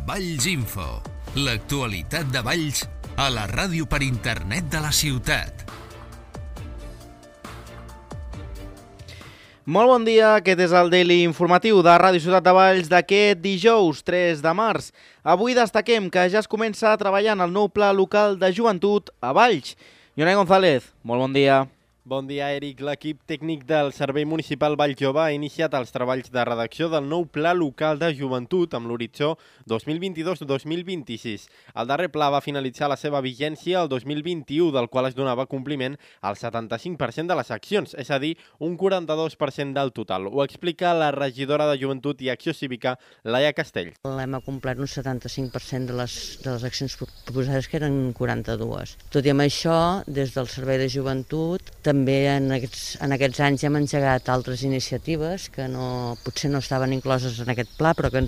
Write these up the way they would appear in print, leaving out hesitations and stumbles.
Valls Info, l'actualitat de Valls a la ràdio per internet de la ciutat. Molt bon dia, aquest és el Daily Informatiu de Ràdio Ciutat de Valls d'aquest dijous 3 de març. Avui destaquem que ja es comença a treballar en el nou pla local de joventut a Valls. Ionai González, molt bon dia. Bon dia, Eric. L'equip tècnic del Servei Municipal Valls Jove ha iniciat els treballs de redacció del nou Pla Local de Joventut amb l'horitzó 2022-2026. El darrer pla va finalitzar la seva vigència el 2021, del qual es donava compliment al 75% de les accions, és a dir, un 42% del total. Ho explica la regidora de Joventut i Acció Cívica, Laia Castell. Hem complert un 75% de les accions proposades, que eren 42. Tot i amb això, des del Servei de Joventut, també en aquests anys hem engegat altres iniciatives que potser no estaven incloses en aquest pla, però que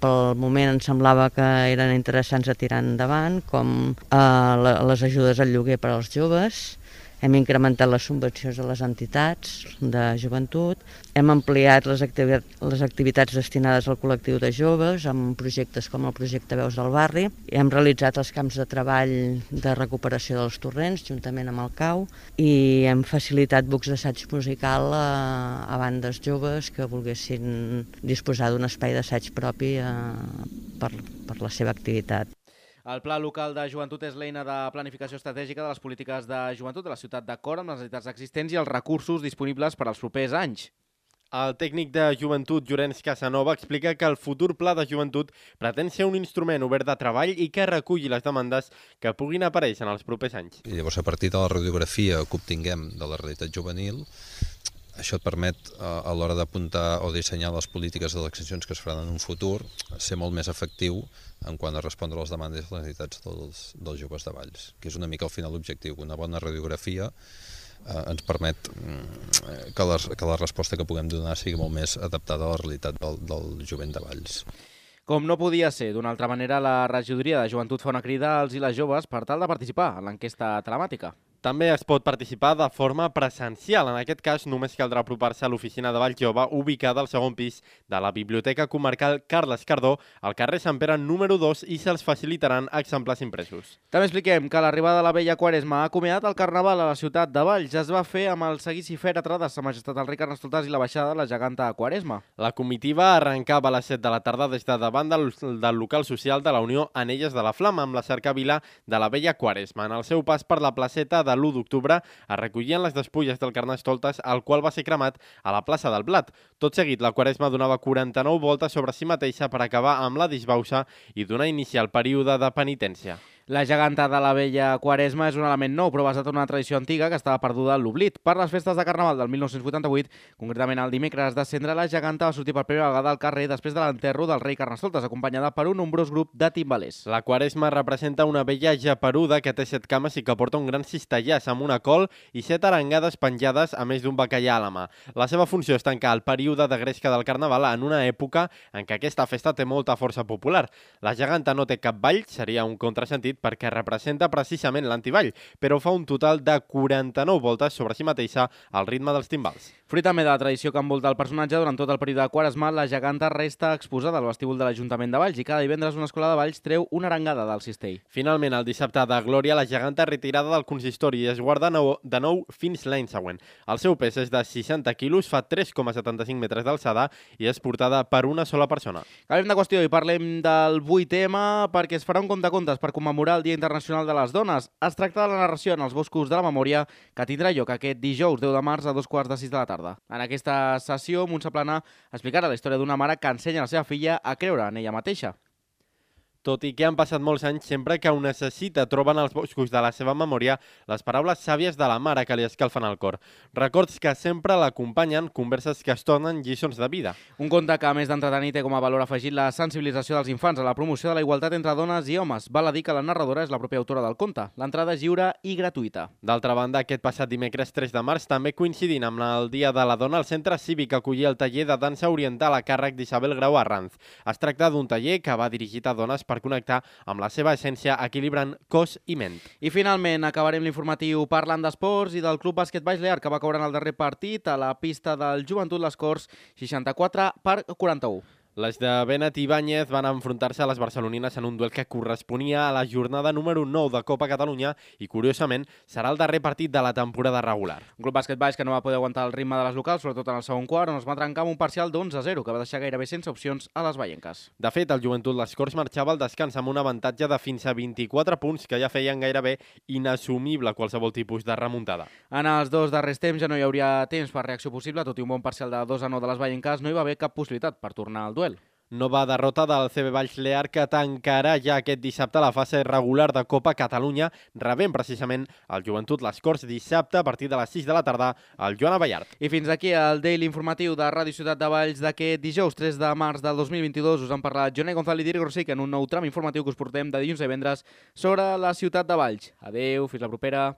pel moment ens semblava que eren interessants a tirar endavant, com les ajudes al lloguer per als joves. Hem incrementat les subvencions a les entitats de joventut, hem ampliat les activitats destinades al col·lectiu de joves amb projectes com el projecte Veus del Barri, hem realitzat els camps de treball de recuperació dels torrents juntament amb el CAU i hem facilitat bucs d'assaig musical a bandes joves que volguessin disposar d'un espai d'assaig propi per la seva activitat. El Pla Local de Joventut és l'eina de planificació estratègica de les polítiques de joventut de la ciutat, d'acord amb les necessitats existents i els recursos disponibles per als propers anys. El tècnic de joventut, Llorenç Casanova, explica que el futur pla de joventut pretén ser un instrument obert de treball i que reculli les demandes que puguin aparèixer en els propers anys. I llavors, a partir de la radiografia que obtinguem de la realitat juvenil, això et permet, a l'hora d'apuntar o dissenyar les polítiques de les accions que es faran en un futur, ser molt més efectiu en quant a respondre a les demandes i les necessitats dels joves de Valls, que és una mica al final l'objectiu. Una bona radiografia ens permet que la resposta que puguem donar sigui molt més adaptada a la realitat del jovent de Valls. Com no podia ser d'una altra manera, la regidoria de joventut fa una crida als i les joves per tal de participar en l'enquesta telemàtica. També es pot participar de forma presencial. En aquest cas, només caldrà apropar-se a l'oficina de Valls Jove, ubicada al segon pis de la Biblioteca Comarcal Carles Cardó, al carrer Sant Pere número 2, i se'ls facilitaran exemplars impresos. També expliquem que l'arribada de la vella Quaresma ha acomiadat el Carnaval a la ciutat de Valls. Es va fer amb el seguici fèretre de Sa Majestat el Rei Carnestoltes i la baixada de la geganta Quaresma. La comitiva arrencava a les 7 de la tarda des de davant del local social de la Unió Anelles de la Flama, amb la cercavila de la vella Quaresma. En el seu pas per la placeta de l'1 d'octubre es recollien les despulles del Carnestoltes, el qual va ser cremat a la plaça del Blat. Tot seguit, la Quaresma donava 49 voltes sobre si mateixa per acabar amb la disbauxa i donar inici al període de penitència. La geganta de la vella Quaresma és un element nou, però basat en una tradició antiga que estava perduda en l'oblit. Per les festes de Carnaval del 1988, concretament el dimecres de Cendra, la geganta va sortir per primera vegada al carrer després de l'enterro del rei Carnestoltes, acompanyada per un nombrós grup de timbalers. La Quaresma representa una vella geperuda que té 7 cames i que porta un gran cistellàs amb una col i 7 arengades penjades, a més d'un bacallà a la mà. La seva funció és tancar el període de gresca del Carnaval en una època en què aquesta festa té molta força popular. La geganta no té cap ball, seria un contrasentit, perquè representa precisament l'antiball, però fa un total de 49 voltes sobre si mateixa al ritme dels timbals. Fruit també de la tradició que envolta el personatge, durant tot el període de Quaresma, la geganta resta exposada al vestíbul de l'Ajuntament de Valls i cada divendres una escola de Valls treu una arengada del cistell. Finalment, el dissabte de Glòria, la geganta és retirada del consistori i es guarda de nou fins l'any següent. El seu pes és de 60 quilos, fa 3,75 metres d'alçada i és portada per una sola persona. Canviem de qüestió i parlem del 8M perquè es farà un compte-contes per commemorar el Dia Internacional de les Dones. Es tracta de la narració en els boscos de la memòria que tindrà lloc aquest dijous 10 de març a 2:15 de la tarda. En aquesta sessió, Montse Plana explicarà la història d'una mare que ensenya a la seva filla a creure en ella mateixa. Tot i que han passat molts anys, sempre que ho necessita troben als boscos de la seva memòria les paraules sàvies de la mare que li escalfen el cor. Records que sempre l'acompanyen, converses que es tornen lliçons de vida. Un conte que, a més d'entretenir, té com a valor afegit la sensibilització dels infants a la promoció de la igualtat entre dones i homes. Val a dir que la narradora és la pròpia autora del conte. L'entrada és lliure i gratuïta. D'altra banda, aquest passat dimecres 3 de març, també coincidint amb el Dia de la Dona, el Centre Cívic acollia el taller de dansa oriental a càrrec d'Isabel Grau Arranz. Es tracta d'un taller que va dirigit a dones per connectar amb la seva essència equilibrant cos i ment. I finalment acabarem l'informatiu parlant d'esports i del Club Bàsquet Valls Lear, que va caure en el darrer partit a la pista del Joventut Les Corts 64-41. Les de Benet i Ibáñez van enfrontar-se a les barcelonines en un duel que corresponia a la jornada número 9 de Copa Catalunya i, curiosament, serà el darrer partit de la temporada regular. Un Club Bàsquet Baix que no va poder aguantar el ritme de les locals, sobretot en el segon quart, on es va trencar amb un parcial d'11-0, que va deixar gairebé sense opcions a les baienques. De fet, el Joventut Les Corts marxava al descans amb un avantatge de fins a 24 punts que ja feien gairebé inassumible qualsevol tipus de remuntada. En els dos darrers temps ja no hi hauria temps per reacció possible, tot i un bon parcial de 2-9 de les baienques, no hi va haver cap possibilitat per tornar al duel. Nova derrota del CB Valls Lear que tancarà ja aquest dissabte la fase regular de Copa Catalunya, rebent precisament el Joventut Les Corts dissabte a partir de les 6 de la tarda al Joan Abellart. I fins aquí el Daily informatiu de Ràdio Ciutat de Valls d'aquest dijous 3 de març del 2022. Us han parlat Joné González i Diri Grosic en un nou tram informatiu que us portem de dilluns a divendres sobre la ciutat de Valls. Adeu, fins la propera.